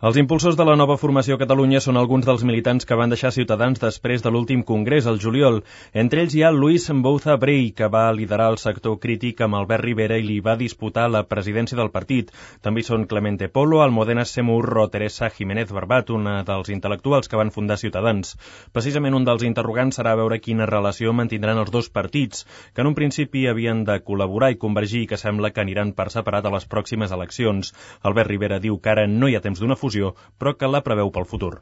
Els impulsors de la nova formació a Catalunya són alguns dels militants que van deixar Ciutadans després de l'últim congrés, al juliol. Entre ells hi ha Luis Mbouza Brey, que va liderar el sector crític amb Albert Rivera i li va disputar la presidència del partit. També hi són Clemente Polo, Almudena Semurro o Teresa Jiménez Barbat, una dels intel·lectuals que van fundar Ciutadans. Precisament un dels interrogants serà veure quina relació mantindran els dos partits, que en un principi havien de col·laborar i convergir i que sembla que aniran per separat a les pròximes eleccions. Albert Rivera diu que ara no hi ha temps d'una fusió, però que la preveu pel futur.